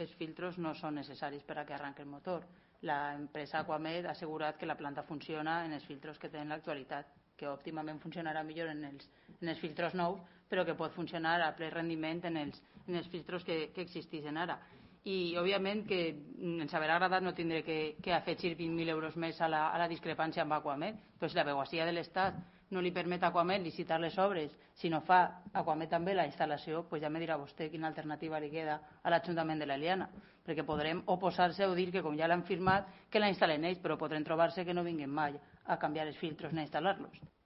els filtros no són necessaris per a que arranqui el motor. L'empresa Aquamed ha assegurat que la planta funciona en els filtros que té en l'actualitat, que òptimament funcionarà millor en els filtros nous, però que pot funcionar a ple rendiment en els filtros que existeixen ara. I, òbviament, que ens haurà agradat no tindre que afegir 20.000 euros més a la discrepància amb Aquamed, però si la Abegosia de l'Estat no li permet a Aquamed licitar les obres, si no fa Aquamed també la instal·lació, doncs ja me dirà vostè quina alternativa li queda a l'Ajuntament de l'Eliana, perquè podrem oposar-se o dir que com ja l'han firmat, que la instal·len ells, però podrem trobar-se que no vinguin mai a canviar els filtros ni a instal·lar-los.